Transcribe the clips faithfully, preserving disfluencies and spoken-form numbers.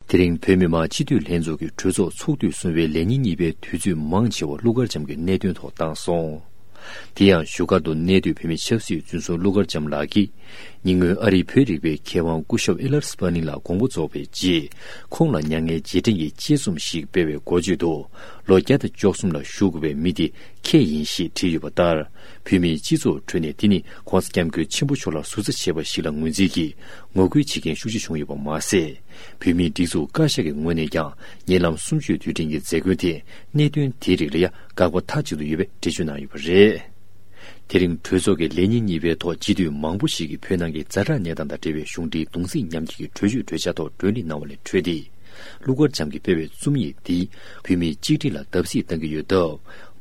དེ་རིང་བོད་མི་མང་སྤྱི་འཐུས་ལྷན་ཚོགས་ཀྱི་གྲོས་ཚོགས་ཚོགས་དུས་གསུམ་པའི་ལས་ཉིན་གཉིས་པའི་དུས་ཚོད་མང་ཆེ་བ་ཀླུ་མཁར་བྱམས་ཀྱི་གནད་དོན་ཐོག་བཏང་སོང་། དེ་ཡང་བཞུགས་སྒར་དུ་གནས་སྡོད་བོད་མི་ཆབ་སྲིད་བཙོན་ཟུར་ཀླུ་མཁར་བྱམས་ལགས་ཀྱིས། ཉེ་སྔོན་ཨ་རིའི་བོད་རིག་པའི་མཁས་དབང་སྐུ་ཞབས་ཨི་ལར་སི་པ་ནི་ལགས་དགོངས་པ་རྫོགས་པའི་རྗེས། ཁོང་ལ་མྱ་ངན་རྗེས་དྲན་གྱི་དཔྱད་རྩོམ་ཞིག་སྤེལ་བའི་འགོ་བརྗོད་དུ། ལོ་བརྒྱ་དང་བཅུ་གསུམ་ལ་བཞུགས་དགོས་པའི་མི་དེ་ཁྱེད་ཡིན་ཞེས་བྲིས་ཡོད་པ་ལྟར། བོད་མིའི་སྤྱི་ཚོགས་ཁྲོད་ནས་དེ་ནི་༸གོང་ས་༸སྐྱབས་མགོན་ཆེན་པོ་མཆོག་ལ་ཟུར་ཟ་བྱས་པ་ཞིག་ལ་ངོས་འཛིན་གྱིས་ངོ་རྒོལ་བྱེད་མཁན་ཤུགས་ཆེ་བྱུང་ཡོད་པ་མ་ཟད། བོད་མིའི་སྒྲིག་འཛུགས་བཀའ་ཤག་གི་ངོས་ནས་ཀྱང་ཉེ་ལམ་གསུམ་བཅུའི་དུས་དྲན་གྱི་མཛད་སྒོའི་ཐད་གནད་དོན་དེའི་རིགས་ལ་ཡང་དགག་པ་མཐའ་གཅིག་ཏུ་ཡོད་པའི་འགྲེལ་བརྗོད་གནང་ཡོད་པ་རེད། དེ་རིང་གྲོས་ཚོགས་ཀྱི་ལས་ཉིན་གཉིས་པའི་ཐོག་སྤྱི་འཐུས་མང་པོ་ཞིག་གིས་བོད་ནང་གི་ཛ་དྲག་གནས་སྟངས་དང་འབྲེལ་བའི་གཞུང་འབྲེལ་གདུང་སེམས་མཉམ་སྐྱེད་ཀྱི་གྲོས་ཆོད་གྲོས་འཆར་ཐོག་གྲོས་འདེབས་གནང་བ་ལས་འཕྲོས་ཏེ། ཀླུ་མཁར་བྱམས་ཀྱིས་སྤེལ་བའི་རྩོམ་ཡིག་འདིས་བོད་མིའི་གཅིག་སྒྲིལ་ལ་བརྡབ་གསིག་བཏང་གི་ཡོད་སྟབས།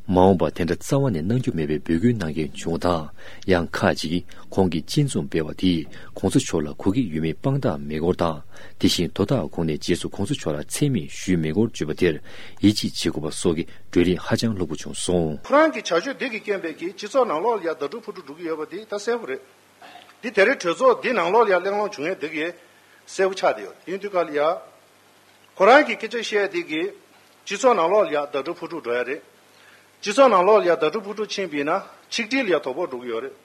མ་འོངས་པར་དེ་འདྲ་རྩ་བ་ནས་གནང་རྒྱུ་མེད་པའི་འབོད་སྐུལ་གནང་མཁན་བྱུང་བ་དང་། ཡང་ཁག་ཅིག་གིས་ཁོང་གིས་སྤྱི་མཚུངས་སྤེལ་བ་དེས་༸གོང་ས་མཆོག་ལ་གོ་སྐབས་ཡོད་མེད་དཔང་རྟགས་མེད་སྐོར་དང་། དེ་བཞིན་དོ་བདག་ཁོང་ནས་རྗེས་སུ་༸གོང་ས་མཆོག་ལ་མཚན་སྨད་ཞུས་མེད་སྐོར་བརྗོད་པ་དེར་ཡིད་ཆེས་བྱེད་དགོས་པ་སོགས་ཀྱི་བགྲོ་གླེང་ཧ་ཅང་ལྷུག་པོ་བྱུང་སོང་། ཁོ་རང་གི་བྱ་སྤྱོད་འདི་གི་རྐྱེན་པས་ཀྱིས་སྤྱི་ཚོགས་ནང་ལོགས་ལ་ཡ་ཟླ་གྲོགས་ཕུ་ཕུ་འགྲོ་གི་ཡོད་པ་འདི་ད་གསལ་པོ་རེད། འདི་དེ་རིང་གྲོས་ཚོགས་འདི་ནང་ལོགས་ལ་ཡ་གླེང་སློང་བྱུང་ཡས་འདི་གི་གསལ་པོ་ཆགས་བསྡད་ཡོད། དེ་ཡིན་དུས་ག་ལ་ཡ། ཁོ་རང་གི་སྐད་ཆ་བཤད་དེ་གི་སྤྱི་ཚོགས་ནང་ལོགས་ལ་ཡ་ཟླ་གྲོགས་ཕུ་ཕུ་འགྲོ་ཡ་རེད། སྤྱི་ཚོགས་ནང་ལོགས་ལ་ཡ་ཟླ་གྲོགས་ཕུ་ཕུ་ཕྱིན་པ་ཡིན་ན་ཆིག་སྒྲིལ་ལ་ཡ་དོ་ཕོག་འགྲོ་གི་ཡོད་རེད།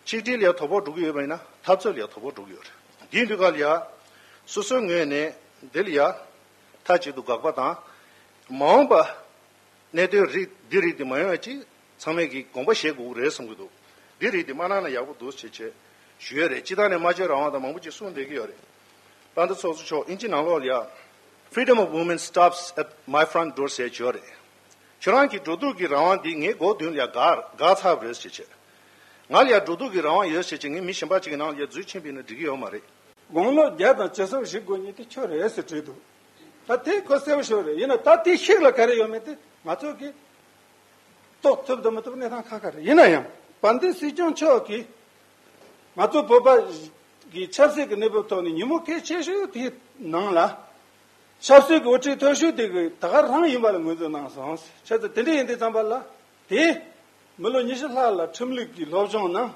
ཆིག་སྒྲིལ་ལ་ཡ་དོ་ཕོག་འགྲོ་གི་ཡོད་པ་ཡིན་ན་འཐབ་རྩོད་ལ་ཡ་དོ་ཕོག་འགྲོ་གི་ཡོད་རེད། དེ་ཡིན་དུས་ག་ལ་ཡ། སོ་སོའི་ངོས་ནས་འདི་ལ་ཡ། མཐའ་གཅིག་ཏུ་དགག་པ་དང་། མ་འོངས་པ། གནད་དོན་རིགས་འདི་རིགས་དེ་མ་ཡོང་ཡ་ཅིག་ཚང་མས་ཀྱིས་དགོངས་པ་བཞེས་དགོས་ཀྱི་རེད་བསམ་གྱི་འདུག་འདི་རིགས་དེ་མ་གནང་ན་ཡག་པོ་འདུག་ཅེས་བྱས་ཞུ་ཡ་རེད། སྤྱི་བཏང་ནས་སྨྲ་བརྗོད་རང་དབང་དང་མང་པོ་ཅིག་གསུངས་བསྡད་ཀྱི་ཡོད་རེད། དཔལ་ལྡན་ཚོགས་གཙོ་མཆོག་དབྱིན་ཇི་ནང་ལོགས་ལ་ཡ། Freedom of movement stops at my front door ཟེར་བྱས་ཡོད་རེད། ཁྱོད་རང་གི་འགྲོ་འདུག་གི་རང་དབང་འདི་ངའི་སྒོ་མདུན་ལ་ཡ་འགག་འགག་ཚར་བ་རེད་ཟེར་བྱས། ང་ལ་ཡ་འགྲོ་འདུག་གི་རང་དབང་ཡོད་ཟེར་བྱས་ངས་མི་གཞན་པ་ཅིག་གི་ནང་ལ་ཡ་འཛུལ་ཕྱིན་པ་ཡིན་ན་འགྲིག་གི་ཡོད་མ་རེད། དགུང་ལོ་བརྒྱ་དང་ཇི་སྲིད་བཞུགས་དགོས་མཁན་དེ་ཁྱོད་རེད་ཟེར་བྲིས་འདུག་ད་དེ་ཁོ་གསལ་པོ་ཤོར་རེད། ཡིན་ན་ད་དེ་ཤིག་ལ་ག་རེ་ཡོད་མེད་དེ་ང་ཚོ་གིས་རྟོགས་ཐུབ་དང་མི་ཐུབ་གནས་སྟངས་ཁག་ཁག་རེད། ཡིན་ན་ཡང་དཔལ་ལྡན་སྲིད་སྐྱོང་མཆོག་གིས་ང་ཚོ་བོད་པ་གི་ཆབ་སྲིད་ཀྱི་གནས་བབ་ཐོག་ནས་ཉིན་མོ་གལ་ཆེ་ཤོས་དེའི་ནང་ལ་ཆབ་སྲིད་ཀྱི་དབུ་ཁྲིད་མཐོ་ཤོས་དེ་གི་ད་ག་རང་ཡིན་པ་ལ་ངོས་འཛིན་གནང་སོང་། བྱས་ཙང་དེ་འདྲ་ཡིན་དུས་ཙམ་པ་ལ་དེ་མི་ལོ་ཉི་ཤུ་ལྷག་ལ་ཁྲིམས་ལུགས་ཀྱི་སློབ་སྦྱོང་གནང་།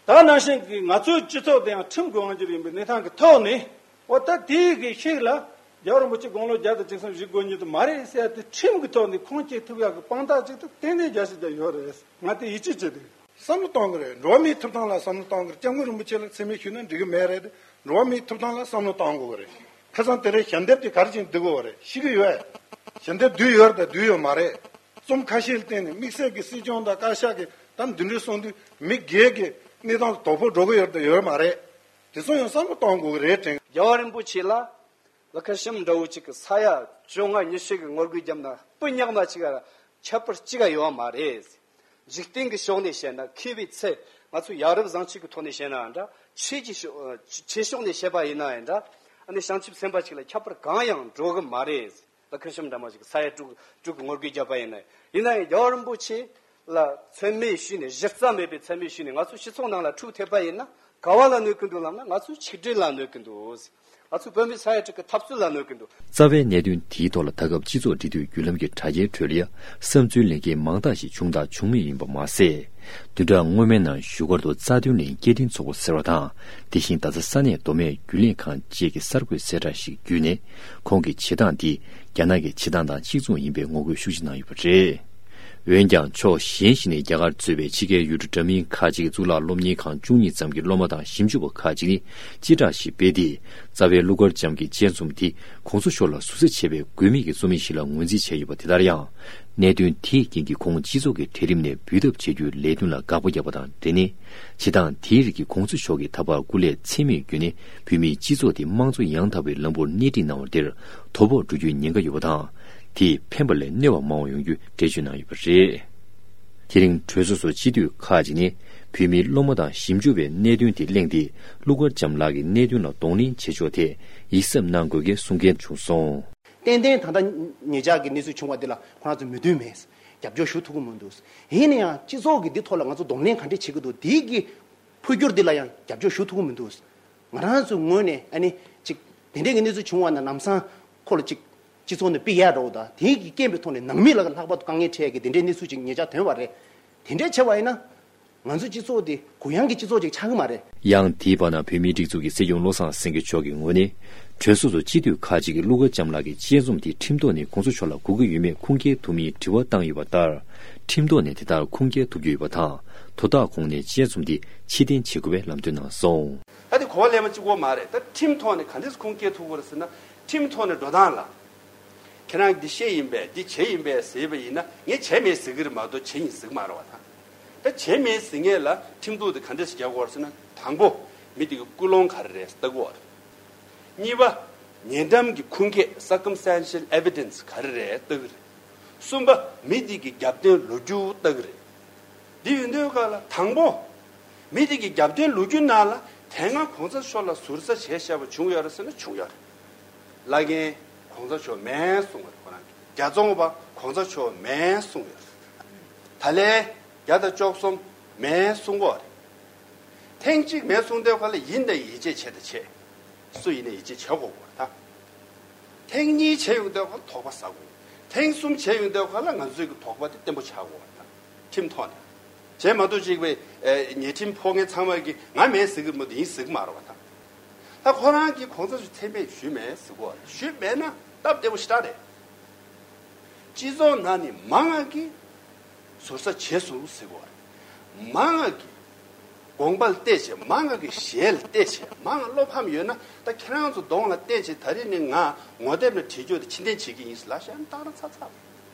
ད་ནང་བཞིན་གྱི་ང་ཚོའི་སྤྱི་ཚོགས་དེ་ཡང་ཁྲིམས་ཀྱི་དབང་སྒྱུར་ཡིན་པའི་གནས་སྟངས་ཀྱི་ཐོག་ནས། འོ་ད་དེའི་གི་ཤིག་ལ་རྒྱལ་བ་རིན་པོ་ཆེ་དགུང་ལོ་བརྒྱ་དང་བཅུ་གསུམ་བཞུགས་དགོས་ཉིད་དུ་མ་རེད་ཟེར་ཏེ་ཁྲིམས་ཀྱི་ཐོག་ནས་ཁུངས་སྐྱེལ་ཐུབ་ཡག་གི་དཔང་རྟགས་ཅིག་ཏུ་ཏན་ཏན་རྒྱ་ཆེ་རྒྱ་ཡོད་རེད། ང་དེ་ཡིད་ཆེས་བྱེད་དེ། བསམ་བློ་གཏོང་གི་རེད། འགྲོ་བ་མིའི་ཐོབ་ཐང་ལ་བསམ་བློ་གཏོང་གི་རེད། སྐྱབས་མགོན་རིན་པོ་ཆེ་ལ་མཚན་སྨད་ཞུས་ན་འགྲིག་གི་མེད་རེད། འགྲོ་བ་མིའི་ཐོབ་ཐང་ལ་བསམ་བློ་གཏོང་དགོས་ཀྱི་རེད། ཁ་སང་དེ་རིང་ཞལ་འདེབས་དེ་ག་རེ་བྱས་ནས་བསྡུ་དགོས་པ་རེད། ཤེས་ཀྱི་ཡོད། ཞལ་འདེབས་བསྡུས་ཡོད་རེད་དང་བསྡུས་ཡོད་མ་རེད། རྩོམ་ཁ་ཤས་ལ་བརྟེན་ནས་དམིགས་བསལ་གྱི་སྲིད་སྐྱོང་དང་བཀའ་ཤག་གིས་ད་འདི་འདྲའི་གསུངས་དུས་མི་སྒེར་གྱི་གནས་སྟངས་ལ་དོ་ཕོག་འགྲོ་གི་ཡོད་རེད་དང་ཡོད་མ་རེད། དེ་ཚོ་ཡང་བསམ་བློ་གཏོང་དགོས་ཀྱི་རེད་དྲན། རྒྱལ་བ་རིན་པོ་ཆེ་ལ་ལ་ཁ་ཤམ་འདྲ་བོ་ཅིག་གི་ས་ཡ་བཅོ་ལྔ་ཉི་ཤུ་གི་ངོ་རྒོལ་བརྒྱབ་ན་སྤུ་ཉག་མ་ཅིག་ག་ཁྱད་པར་ཅི་ག་ཡོད་མ་རེད། འཇིག་རྟེན་གྱི་ཕྱོགས་ནས་བཤད་ན་མཁས་པའི་ཚད། ང་ཚོ་ཡ་རབས་བཟང་སྤྱོད་ཀྱི་ཐོག་ནས་བཤད་ནའང་འདྲ། ཆོས་ཀྱི་ཕྱོགས་ཆོས་ཕྱོགས་ནས་བཤད་པ་ཡིན་ན་ཡང་འདྲ། ཨ་ནི་བྱང་ཆུབ་སེམས་དཔའ་ཅིག་ལ་ཁྱད་པར་གང་ཡང་འགྲོ་གི་མ་རེད། ལ་ཁ་ཤམ་འདྲ་མ་ཅིག་ས་ཡ་དྲུག་དྲུག་གི་ངོ་རྒོལ་བརྒྱབ་པ་ཡིན་ན། ཡིན་ན་ཡང་རྒྱལ་བ་རིན་པོ་ཆེ་ལ་མཚན་སྨད་ཞུས་ནས་གཞི་རྩ་མེད་པའི་མཚན་སྨད་ཞུས་ནས་ང་ཚོ་སྤྱི་ཚོགས་ནང་ལ་འཁྲུག་ཐེབས་པ་ཡིན་ན་ག་བ་ལ་གནོད་ཀྱི་འདུག་ལབ་ན་ང་ཚོ་ཆིག་སྒྲིལ་ལ་གནོད་ཀྱི་འདུག་ང་ཚོ་བོད་མི་ས་ཡ་དྲུག་གི་འཐབ་རྩོད་ལ་གནོད་ཀྱི་འདུག་རྩ་བའི་གནད་དོན་དེའི་ཐོག་ལ་ད་སྐབས་སྤྱི་ཚོགས་འབྲེལ་མཐུད་བརྒྱུད་ལམ་གྱི་དྲ་རྒྱའི་ཁྲོད་ལ་ཡང་བསམ་ཚུལ་ལེན་མཁན་མང་དག་ཞིག་བྱུང་དང་འབྱུང་མུས་ཡིན་པ་མ་ཟད། བདུན་ཕྲག་སྔོན་མའི་ནང་བཞུགས་སྒར་དུ་རྩ་དོན་གླིང་སྐྱེ་ལྡན་ཚོགས་པ་ཟེར་བ་དང་། དེ་བཞིན་ད་ཆ་ས་གནས་མདོ་སྨད་རྒྱུན་ལས་ཁང་བཅས་ཀྱི་གསར་འགོད་གསལ་བསྒྲགས་ཤིག་བརྒྱུད་ནས། ཁོང་གི་བྱེད་སྟངས་འདི་རྒྱ་ནག་གི་བྱེད་སྟངས་དང་གཅིག་མཚུངས་ཡིན་པའི་ངོ་རྒོལ་ཤུགས་ཆེ་གནང་ཡོད་པ་རེད། འོན་ཀྱང་ཕྱོགས་གཞན་ཞིག་ནས་རྒྱ་གར་གཙོས་པའི་ཕྱི་རྒྱལ་ཡུལ་གྲུ་འདྲ་མིན་ཁག་ཅིག་གི་གཙུག་ལག་སློབ་གཉེར་ཁང་བཅུ་གཉིས་ཙམ་གྱི་སློབ་མ་དང་ཞིབ་འཇུག་པ་ཁག་ཅིག་ནི་སྤྱི་བསྒྲགས་ཤིག་སྤེལ་ཏེ། རྩ་བའི་ཀླུ་མཁར་བྱམས་ཀྱི་དཔྱད་རྩོམ་དེ་གོང་ས་མཆོག་ལ་ཟུར་ཟ་བྱས་པའི་དགོས་མེད་ཀྱི་རྩོམ་ཡིག་ཞིག་ལ་ངོས་འཛིན་བྱས་ཡོད་པ་དེ་ལྟར་ཡང་། གནད་དོན་དེའི་རྐྱེན་གྱིས་ཁོང་སྤྱི་ཚོགས་ཀྱི་གྲལ་རིམ་ནས་འབུད་ཐབས་བྱ་རྒྱུའི་ལས་དོན་ལ་དགག་པ་བརྒྱབ་པ་དང་འབྲེལ་ནས། བྱེད་སྟངས་དེའི་རིགས་ཀྱིས་གོང་ས་མཆོག་གིས་ད་བར་སྐུ་ལས་ཚད་མེད་བརྒྱུད་ནས་བོད་མིའི་སྤྱི་ཚོགས་དེ་དམངས་གཙོ་ཡང་དག་པའི་ལམ་བུར་སྣེ་ཁྲིད་གནང་བ་དེར་དོ་ཕོག་འགྲོ་རྒྱུའི་ཉེན་ཁ་ཡོད་པ་དང་། དེས་ཕན་པ་ལས་གནོད་པ་མང་བ་ཡོང་རྒྱུའི་འགྲེལ་བརྗོད་གནང་ཡོད་པ་རེད། དེ་རིང་གྲོས་ཚོགས་སུ་སྤྱི་འཐུས་ཁག་ཅིག་ནས་བོད་མིའི་སློབ་མ་དང་ཞིབ་འཇུག་པའི་གནད་དོན་དེ་གླེང་སྟེ། ཀླུ་མཁར་བྱམས་ལགས་ཀྱི་གནད་དོན་ལ་གདོང་ལེན་བྱེད་ཕྱོགས་ཐད་ཡིད་གཟབ་གནང་དགོས་སྐད་གསུང་མཁན་བྱུང་སོང་། ཏན་ཏན་ད་ལྟ་ཉེ་ཆར་གྱི་གནས་ཚུལ་བྱུང་བ་འདི་ལ་ཁོ་རང་ཚོ་མོས་མཐུན་མེད། རྒྱབ་སྐྱོར་ཞུ་ཐུབ་ཀྱི་མི་འདུག་ཡིན་ན་ཡང་སྤྱི་ཚོགས་ཀྱིས་འདི་ཐོག་ལ་ང་ཚོ་གདོང་ལེན་ག་འདྲས་བྱེད་ཀྱི་འདུག་འདི་གི་འཕོ་འགྱུར་འདི་ལ་ཡང་རྒྱབ་སྐྱོར་ཞུ་ཐུབ་ཀྱི་མི་འདུག་ང་རང་ཚོའི་ངོས་ནས་ཨ་ནི་ཅིག་དེ་འདྲས་ཀྱི་གནས་ཚུལ་བྱུང་བ་ན་ལམ་སང་ཁོ་ལ་ཅིག་སྤྱི་ཚོགས་ནས་ཕུད་ཡག་འདྲ་བོ་དང་དེ་གི་རྐྱེན་པའི་ཐོག་ནས་ནང་མི་ལ་ལྷག་པར་དུ་དཀའ་ངལ་འཕྲད་ཡག་གི་དེ་འདྲའི་གནས་ཚུལ་ཅིག་ཉེ་ཆར་ཐོན་པ་རེད། དེ་འདྲས་བྱས་པ་ཡིན་ན། ང་ཚོའི་སྤྱི་ཚོགས་འདི་གུ་ཡངས་ཀྱི་སྤྱི་ཚོགས་ཅིག་ཆགས་ཀྱི་མ་རེད། ཡང་དེའི་བར་ན་བོད་མིའི་སྒྲིག་འཛུགས་ཀྱི་སྲིད་སྐྱོང་བློ་བཟང་སེང་གེ་མཆོག་གི་ངོས་ནས། གྲོས་ཚོགས་སུ་སྤྱི་འཐུས་ཁག་ཅིག་གིས་ཀླུ་མཁར་བྱམས་ལགས་ཀྱི་དཔྱད་རྩོམ་དེ་ཁྲིམས་ཐོག་ནས་གོང་ས་མཆོག་ལ་གོ་གི་ཡོད་མེད་ཁུངས་སྐྱེལ་ཐུབ་མིན་དྲི་བ་བཏང་ཡོད་པ་ལྟར། ཁྲིམས་ཐོག་ནས་དེ་ལྟར་ཁུངས་སྐྱེལ་ཐུབ་རྒྱུ་ཡོད་པ་དང་། དོ་བདག་ཁོང་ནས་དཔྱད་རྩོམ་དེ་ཕྱིར་འཐེན་བྱེད་དགོས་པའི་ལམ་སྟོན་གནང་སོང་། ད་དེ་གོ་བ་ལེན་པ་གཅིག་པོ་མ་རེད། ད་ཁྲིམས་ཐོག་ནས་ག་འདྲས་ཁུངས་སྐྱེལ་ཐུབ་དགོས་རེད་ཟེར་ན། ཁྲིམས་ཐོག་ནས་འགྲོ་སྟངས་ལ། ཁྱེད་རང་འདི་བཤད་ཡིན་པས་འདི་བྱས་ཡིན་པས་ཟེར་བ་ཡིན་ན། ངས་བྱས་མེད་ཟེར་གི་རེད་མ་གཏོགས་བྱས་ཡིན་ཟེར་གི་མ་རེད་བ་ད། ད་བྱས་མེད་ཟེར་མཁན་ལ་ཁྲིམས་གཏུག་དེ་ག་འདྲས་ཞིག་རྒྱག་དགོས་རེད་ཟེར་ན། དང་པོ། མི་དེ་གི་ཀུན་སློང་ག་རེ་རེད་ལྟ་དགོས་རེད། གཉིས་པ། ཉེ་འགྲམ་གྱི་ཁུངས་སྐྱེལ་circumstantial evidence ག་རེ་རེད་ལྟ་གི་རེད། གསུམ་པ། མི་དེ་གི་རྒྱབ་རྟེན་ལོ་རྒྱུས་ལྟ་གི་རེད། འདི་ཡིན་དུས་ག་ལ་དང་པོ། མི་དེ་གི་རྒྱབ་རྟེན་ལོ་རྒྱུས་ནང་ལ་དེ་སྔ་གོང་ས་མཆོག་ལ་ཟུར་ཟ་བྱས་བཞག་པ་བྱུང་ཡོད་རེད་ཟེར་ན་བྱུང་ཡོད་རེད། བླ་རྒན་གོང་ས་མཆོག་མེད་གསུང་བ་རེད་ཁོ་རང་གིས། རྒྱ་ཚོང་པ་གོང་ས་མཆོག་མེད་གསུང་ཡོད་རེད། ད་ལན་བརྒྱ་དང་བཅུ་གསུམ་མེད་གསུང་གོ་རེད། ཐེངས་གཅིག་མེད་གསུང་དུས་ག་ལ་ཡིན་དང་ཡིད་ཆེས་བྱེད་དང་བྱེད། སུ་ཡིན་ནའི་ཡིད་ཆེས་བྱེད་དགོས་གོ་རེད་ད། ཐེངས་གཉིས་བྱས་ཡོང་དུས་ག་ལ་དོགས་པ་ཟ་དགོས། ཐེངས་གསུམ་བྱས་ཡོང་དུས་ག་ལ་ང་ཚོའི་གི་དོགས་པ་དེ་བརྟན་པོ་ཆགས་དགོས་རེད་ད། ཁྲིམས་ཐོག་ནས། བྱས་མ་གཏོགས་གཅིག་པའི་ཨེ་ཉེས་ཁྲིམས་ཕོག་མཁན་ཚང་མ་གིས་ང་མེད་ཟེར་གི་མི་འདུག་ཡིན་ཟེར་གི་མ་རེད་བ་ད། ད་ཁོ་རང་གིས་གོང་ས་མཆོག་མཚན་སྨད་ཞུས་མེད་ཟེར་གོ་རེད། ཞུས་མེད་ན་སྟབས་བདེ་པོ་ཞེ་དྲག་རེད། སྤྱི་ཚོགས་ནང་ནས་མང་ང་གིས་ཟུར་ཟ་བྱས་སོང་ཟེར་གོ་རེད། མང་ང་གིས་དགོངས་པ་ལ་བལྟས་བྱས། མང་ང་གིས་ཞལ་ལ་བལྟས་བྱས། མང་ང་བློ་ཕམ་ཡོད་ན་ད་ཁྱེད་རང་ཚོ་གདོང་ལ་བལྟས་བྱས། ད་རེས་ནས་ང་ངོ་དེབ་ནས་བྲིས་རྒྱུ་དེ་ཕྱིར་འཐེན་བྱེད་ཀྱི་ཡིན་ཟེར་ལབ་བཞག་ན་ཏག་ར་ཚ་ཚ་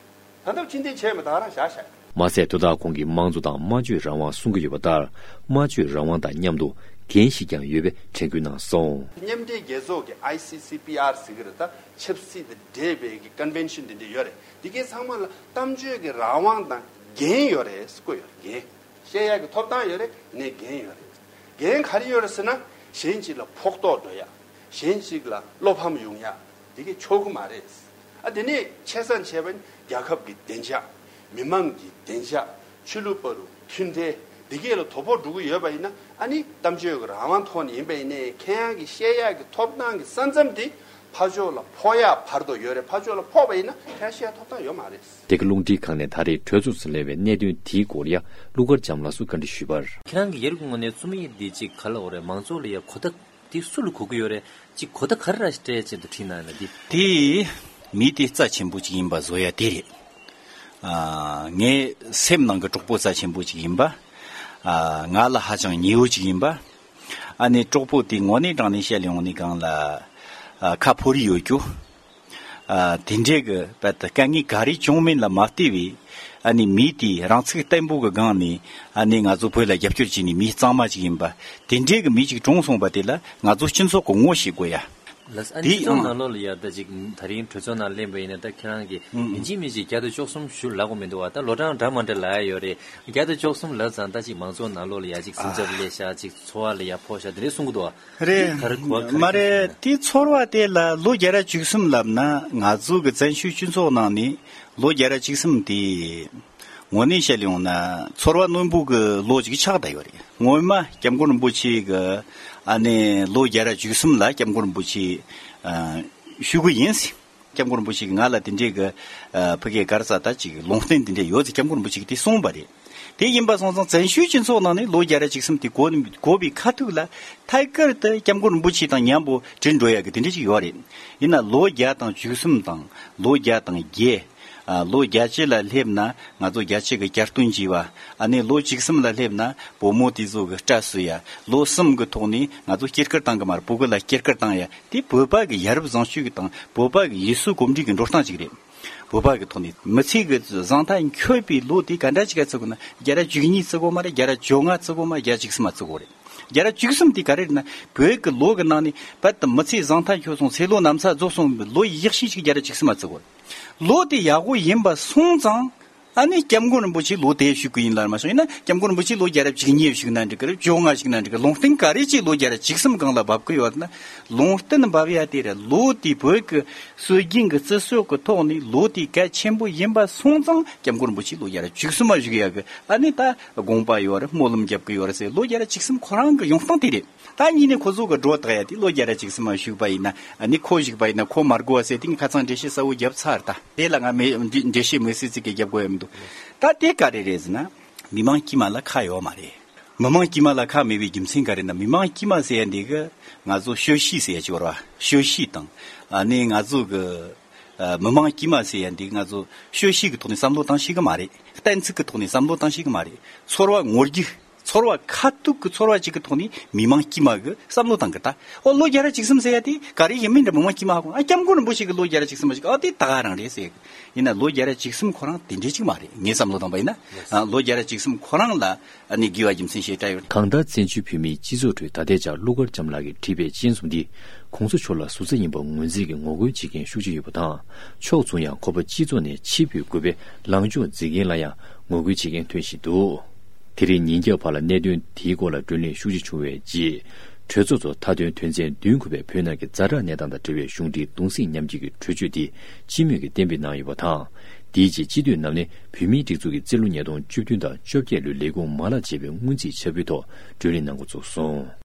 རེད། ད་ལྟ་ཕྱིར་འཐེན་བྱས་མེད་ད་རང་བཞག་བཞག་མ་ཟད་དོ་བདག་ཁོང་གིས་དམངས་གཙོ་དང་སྨྲ་བརྗོད་རང་དབང་གསུང་གི་ཡོད་པ་ལྟར། སྨྲ་བརྗོད་རང་དབང་དང་མཉམ་དུ་འགན་ཞིག་ཀྱང་ཡོད་པའི་དྲན་སྐུལ་གནང་སོང་། མཉམ་འབྲེལ་རྒྱལ་ཚོགས་ཀྱི་ཨའི་སི་སི་པི་ཨར་ཟེར་གི་རེད་ད། ཆབ་སྲིད་དང་འབྲེལ་བའི་གི་ཀོན་ཝེན་ཤན་དེ་འདྲ་ཡོད་རེད། དེ་གའི་ཚང་མ་ལ་གཏམ་བརྗོད་ཀྱི་རང་དབང་དང་འགན་ཡོད་རེད་ཟེར་བཀོད་ཡོད་རེད། འགན། བཤད་ཡག་གི་ཐོབ་ཐང་ཡོད་རེད། ནས་འགན་ཡོད་རེད། འགན་ག་རེ་ཡོད་རེད་ཟེར་ན། གཞན་གཅིག་ལ་ཕོག་ཐུག་འགྲོ་ཡག་གཞན་གཅིག་ལ་བློ་ཕམ་ཡོང་ཡག་དེ་གས་ཆོག་གི་མ་རེད། ཨ་དེ་ནས་ཆེ་ས་བྱས་པ་ནི་རྒྱལ་ཁབ་ཀྱི་བདེ་འཇགས། མི་མང་གི་བདེ་འཇགས། ཆོས་ལུགས་བར་དུ་མཐུན་འབྲེལ་འདི་གས་ལ་དོ་ཕོག་འགྲོ་གི་ཡོད་པ་ཡིན་ན། ཨ་ནི་གཏམ་བརྗོད་ཀྱི་རང་དབང་ཐོག་ནས་ཡིན་པ་ཡིན་ནའི་ཁྱེད་རང་གི་བཤད་ཡག་གི་ཐོབ་ཐང་གི་ས་མཚམས་དེ་ཕར་ཕྱོགས་ལ་ཕོག་ཡག་བར་དུ་ཡོད་རེད། ཕར་ཕྱོགས་ལ་ཕོག་པ་ཡིན་ན་ཁྱེད་རང་བཤད་ཡག་ཐོབ་ཐང་ཡོད་མ་རེད། དེ་ག་རླུང་འཕྲིན་ཁང་ནས་ད་རེས་གྲོས་ཚོགས་སུ་སླེབས་པའི་གནད་དོན་དེའི་སྐོར་ཡང་ཀླུ་མཁར་བྱམས་ལགས་སུ་བཀའ་འདྲི་ཞུས་པར། ཁྱེད་རང་གིས་ཡ་རབས་ཀྱི་ངོས་ནས་རྩོམ་ཡིག་འདི་གཅིག་ག་ལ་འོ་རེད། མང་ཚོགས་ལ་ཡ་གོ་བརྡ་དེ་སུ་ལ་གོ་གི་ཡོད་རེད། གཅིག་གོ་བརྡ་ག་རེ་ར་ཞིག་སྤྲད་བྱས་འདུག་བྲིས་གནང་ཡོད་ན་འདི། དེ་མི་དེ་རྩ་ཆེན་པོ་ཅིག་ཡིན་པ་བཟོ་ཡ་དེ་རེད། ཨ་ངའི་སེམས་ནང་གི་གྲོགས་པོ་རྩ་ཆེན་པོ་ཅིག་ཡིན་པ། ཨ་ང་ལ་ཧ་ཅང་ཉེ་བོ་ཅིག་ཡིན་པ། ཨ་ནི་གྲོགས་པོ་དེ་དངོས་གནས་དྲང་གནས་བཤད་ལས་ཡོང་ནས་གང་ལ་ཨ་ཁ་ཕོ་རི་ཡོད་རྒྱུ། ཨ་དེ་འདྲའི་གི་བར་དུ་དཀའ་ངལ་ག་རེ་བྱུང་མིན་ལ་མ་བལྟས་པའི། ཨ་ནི་མི་དེས་རང་ཚུགས་བརྟན་པོ་གི་སྒང་ནས། ཨ་ནི་ང་ཚོ་བོད་ལ་རྒྱབ་སྐྱོར་བྱས་ནས་མི་གཙང་མ་ཅིག་ཡིན་པ། དེ་འདྲའི་གི་མི་ཅིག་གྲོངས་སོང་བ་དེ་ལ་ང་ཚོ་སྤྱི་ཚོགས་ཀྱི་ངོ་ཤེས་དགོས་ཡ། ལགས་སོ། ཨ་ནི་དེ་སྤྱི་ཚོགས་ཨང་། ནང་ལོགས་ལ་ཡ་ད་ཅིག་ད་རིང་གྲོས་ཚོགས་ནང་སླེབས་པ་ཡིན་ན། ད་ཁྱེད་རང་གིས་ཨང་། ཡིན་གཅིག་མིན་གཅིག་བརྒྱ་དང་བཅུ་གསུམ་ཞུ་ལབ་དགོས་མི་འདུག་བ། ད་ལོ་གྲངས་འདྲ་མ་འདྲ་ལབ་ཡ་ཡོད་རེད། བརྒྱ་དང་བཅུ་གསུམ་ལབ་ཙང་ད་ཅིག་མང་ཚོགས་ནང་ལོགས་ལ་ཡ་ཅིག་སེམས་འཚབ་སླེབས་ཤག་ཅིག་ཚོར་བ་ལ་ཡ་ཕོག་ཤག་དེ་འདྲ་གསུང་གི་འདུག་བ། རེད། ག་རེ་གོ་བ་ག་རེ། མ་རེད། དེ་ཚོར་བ་དེ་ལ་ལོ་བརྒྱ་དང་བཅུ་གསུམ་ལབ་ན། ང་ཚོ་གི་བཙན་བྱོལ་སྤྱི་ཚོགས་ནང་ནས་ལོ་བརྒྱ་དང་བཅུ་གསུམ་དེ་དངོས་གནས་བཤད་ཡོང་ན་ཚོར་བ་རྣོན་པོ་གི་ལོ་ཅིག་ཆགས་བསྡད་ཡོད་རེད། སྔོན་མ་སྐྱབས་མགོན་རིན་པོ་ཆེ་གི་ཨ་ནི་ལོ་བརྒྱ་དང་བཅུ་གསུམ་ལ་སྐྱབས་མགོན་རིན་པོ་ཆེ་ཨ་ཞུ་གི་ཡིན། སྐྱབས་མགོན་རིན་པོ་ཆེ་གིས་ང་ལ་དེ་འདྲའི་གི་ཨ་ཕ་གིའི་ག་རེ་ཟེར་ད་ཅིག་ལུང་བསྟན་དེ་འདྲ་ཡོད་ཟེར་སྐྱབས་མགོན་རིན་པོ་ཆེ་གིས་དེ་གསུངས་པ་རེད། དེ་ཡིན་པ་སོང་ཙང་བཙན་བྱོལ་སྤྱི་ཚོགས་ནང་ནས་ལོ་བརྒྱ་དང་བཅུ་གསུམ་དེ་གོ་གོ་བའི་ཁ་ཐུག་ལ་ཐད་ཀར་དུ་སྐྱབས་མགོན་རིན་པོ་ཆེ་དང་མཉམ་པོ་བྲལ་འགྲོ་ཡག་གི་དེ་འདྲ་ཅིག་ཡོད་རེད། ཡིན་ན་ལོ་བརྒྱ་དང་བཅུ་གསུམ་དང་ལོ་བརྒྱ་དང་བརྒྱད། ཨ་ལོ་བརྒྱད་ཅུ་ལ་སླེབས་ན་ང་ཚོ་རྒྱལ་གཅེས་ཀྱི་བསྐྱར་སྟོན་བྱས་པ། ཨ་ནི་ལོ་བཅུ་གསུམ་ལ་སླེབས་ན་བུ་མོ་དེ་ཚོ་གི་སྐྲ་བསུ་ཡ། ལོ་གསུམ་གི་ཐོག་ནས་ང་ཚོ་སྐྱེས་སྐར་བཏང་གི་མ་རེད། བུ་གུ་ལ་སྐྱེས་སྐར་བཏང་ཡ། དེ་བོད་པ་གི་ཡ་རབས་བཟང་སྤྱོད་ཀྱི་དང་བོད་པ་གི་ཡུལ་སྲོལ་གོམས་འདྲིས་ཀྱི་འགྲོ་སྟངས་ཅིག་རེད། བོད་པ་གི་ཐོག་ནས་མི་ཚེ་གི་བཟང་མཐའ་འཁྱོལ་བའི་ལོ་དེ་ག་འདྲ་ཅིག་ག་བརྩི་དགོས་ན། བརྒྱ་དང་བཅུ་གཉིས་བརྩི་དགོས་མ་རེད། བརྒྱ་དང་བཅོ་ལྔ་བརྩི་དགོས་མ་རེད། བརྒྱ་དང་བཅུ་གསུམ་མ་བརྩི་དགོས་རེད། བརྒྱ་དང་བཅུ་གསུམ་དེ་ག་རེ་རེད་ན། བོད་ཀྱི་ལོ་གི་ནང་ནས་བར་དུ་མི་ཚེ་བཟང་མཐའ་འཁྱོལ་སོང་། ཚེ་ལོ་ན་ཚོད་རྫོགས་སོང་བའི་ལོ་ཡག་ཤོས་ཅིག་བརྒྱ་དང་བཅུ་གསུམ་མ་བརྩི་དགོས་རེད། ལོ་དེ་ཡག་པོ་ཡིན་པ་སོང་ཙང་། ཨ་ནི་སྐྱབས་མགོན་རིན་པོ་ཆེ་ལོ་དེ་ཞུ་གི་ཡིན་ལབ་མ་སོང་། ཡིན་ན་སྐྱབས་མགོན་རིན་པོ་ཆེ་ལོ་བརྒྱ་དང་བཅུ་གཉིས་ཞུགས་ན་འགྲིག་གི་རེད། བཅོ་ལྔ་ཞུགས་ན་འགྲིག་གི། ལུང་བསྟན་ག་རེ་ཅིག་ལོ་བརྒྱ་དང་བཅུ་གསུམ་སྒང་ལ་འབབ་གི་ཡོད་ན། ལུང་བསྟན་འབབ་ཡ་དེ་རེད། ལོ་དེ་བོད་ཀྱི་སྲོལ་རྒྱུན་གྱི་བརྩི་སྲོལ་གྱི་ཐོག་ནས་ལོ་དེ་གལ་ཆེན་པོ་ཡིན་པ་སོང་ཙང་སྐྱབས་མགོན་རིན་པོ་ཆེ་ལོ་བརྒྱ་དང་བཅུ་གསུམ་མ་བཞུགས་ཡ་གི་ཨ་ནི་ད་དགོངས་པ་ཡོད་རེད། སྨོན་ལམ་རྒྱབ་གི་ཡོད་རེད་ཟེར། ལོ་བརྒྱ་དང་བཅུ་གསུམ་ཁོ་རང་གི་ཡོང་སྟངས་དེ་རེད། ད་གཉིས་ནས་ཁོ་ཚོ་གི་སྒྲོ་བཏགས་ཡ་དེ་ལོ་བརྒྱ་དང་བཅུ་གསུམ་མ་བཞུགས་པ་ཡིན་ན། ཨ་ནི་ཁོ་བཞུགས་པ་ཡིན་ན་ཁོ་མ་དགོས་པ་ཟེར་དེ་ངས་ཁ་སང་འགྲེལ་བཤད་གསལ་བོ་བརྒྱབ་ཚར། ད་དེ་ལ་ང་མེ་འགྲེལ་བཤད་མི་སྲིད་ཟེར་གི་རྒྱབ་དགོས་ཡ་མི་འདུག་ད་དེ་ག་རེ་རེད་ཟེར་ན། མི་མང་དཀྱུས་མ་ལ་ཁ་ཡོད་མ་རེད། མི་མང་དཀྱུས་མ་ལ་ཁ་མེད་པའི་རྒྱུ་མཚན་ག་རེ་ན། མི་མང་དཀྱུས་མ་ཟེར་ཡ་འདི་གི་ང་ཚོ་ཤོ་ཤི་ཟེར་ཡ་ཅིག་ཡོད་རེད་བ། ཤོ་ཤི་དང་ཨ་ནི་ང་ཚོ་གི་ཨ་མི་མང་དཀྱུས་མ་ཟེར་ཡ་འདི་ང་ཚོ་ཤོ་ཤི་གི་ཐོག་ནས་བསམ་བློ་བཏང་ཤེས་གི་མ་རེད། གཏན་ཚིགས་ཀྱི་ཐོག་ནས་བསམ་བློ་བཏང་ཤེས་གི་མ་རེད། ཚོར་བ་ངོ་རྒྱུ། ཚོར་བ་ཁ་ཐུག་གི་ཚོར་བ་ཅིག་གི་ཐོག་ནས་མི་མང་དཀྱུས་མ་གི་བསམ་བློ་བཏང་གི་ད། ཨོ་ལོ་བརྒྱ་ར་བཅུ་གསུམ་ཟེར་ཡ་དེ་ག་རེ་ཡིན་མིན་འདྲ། མི་མང་དཀྱུས་མ་ཧ་གོ། ཨ་སྐྱབས་མགོན་རིན་པོ་ཆེ་གི་ལོ་བརྒྱ་ར་བཅུ་གསུམ་པ་ཞིག་ཨ་དེ་ད་ག་རང་རེད་ཟེར་གི། ཡིན་ན་ལོ་བརྒྱ་ར་བཅུ་གསུམ་ཁོ་རང་དེ་འདྲས་ཅིག་མ་རེད། ངས་བསམ་བློ་བཏང་པ་ཡིན་ན། ཨ་ལོ་བརྒྱ་ར་བཅུ་གསུམ་ཁོ་རང་ལ་ཨ་ནི་དགེ་བ་རྒྱུ་མཚན་ཞེ་དྲག་ཡོད། གང་ལྟར་བཙན་བྱོལ་བོད་མིའི་སྤྱི་ཚོགས་ཁྲོད་ད་ལྟའི་ཆར་ཀླུ་མཁར་བྱམས་ལགས་ཀྱིས་བྲིས་པའི་སྤྱན་ཟུང་འདི་གོང་ས་མཆོག་ལ་ཟུར་ཟ་ཡིན་པར་ངོས་འཛིན་གྱི་ངོ་རྒོལ་བྱེད་མཁན་ཤུགས་ཆེ་ཡོད་པ་དང་། ཕྱོགས་མཚུངས་ཡང་ཁོ་པ་སྤྱི་ཚོགས་ནས་ཕྱིར་འབུད་དགོས་པའི་ལངས་ཕྱོགས་འཛིན་མཁན་ལ་ཡང་ངོ་རྒོལ་བྱེད་མཁན་ཐོན་བཞིན་འདུག་དེ་རིང་ཉིན་རྒྱབ་བར་ལ་གནད་དོན་དེའི་སྐོར་ལ་བགྲོ་གླེང་ཤུགས་ཆེ་བྱུང་བའི་རྗེས། གྲོས་ཚོགས་ཚོ་མཐའ་དོན་དོན་ཚན་བདུན་འཁོད་པའི་བོད་ནང་གི་ཛ་དྲག་གནས་སྟངས་དང་འབྲེལ་བའི་གཞུང་འབྲེལ་གདུང་སེམས་མཉམ་སྐྱེད་ཀྱི་གྲོས་ཆོད་དེ་སྤྱི་མོས་ཀྱིས་གཏན་འབེབས་གནང་ཡོད་པ་དང་། དེའི་རྗེས་སྤྱི་འཐུས་རྣམས་ནས་བོད་མིའི་སྒྲིག་འཛུགས་ཀྱི་རྩིས་ལོ་ཉིས་སྟོང་བཅུ་བདུན་དང་བཅོ་བརྒྱད་ལོའི་ལས་ཁུངས་མ་ལག་ཅེས་པའི་སྔོན་རྩིས་ཕྱག་དཔེའི་ཐོག་བགྲོ་གླེང་གནང་འགོ་བཙུགས་སོང་།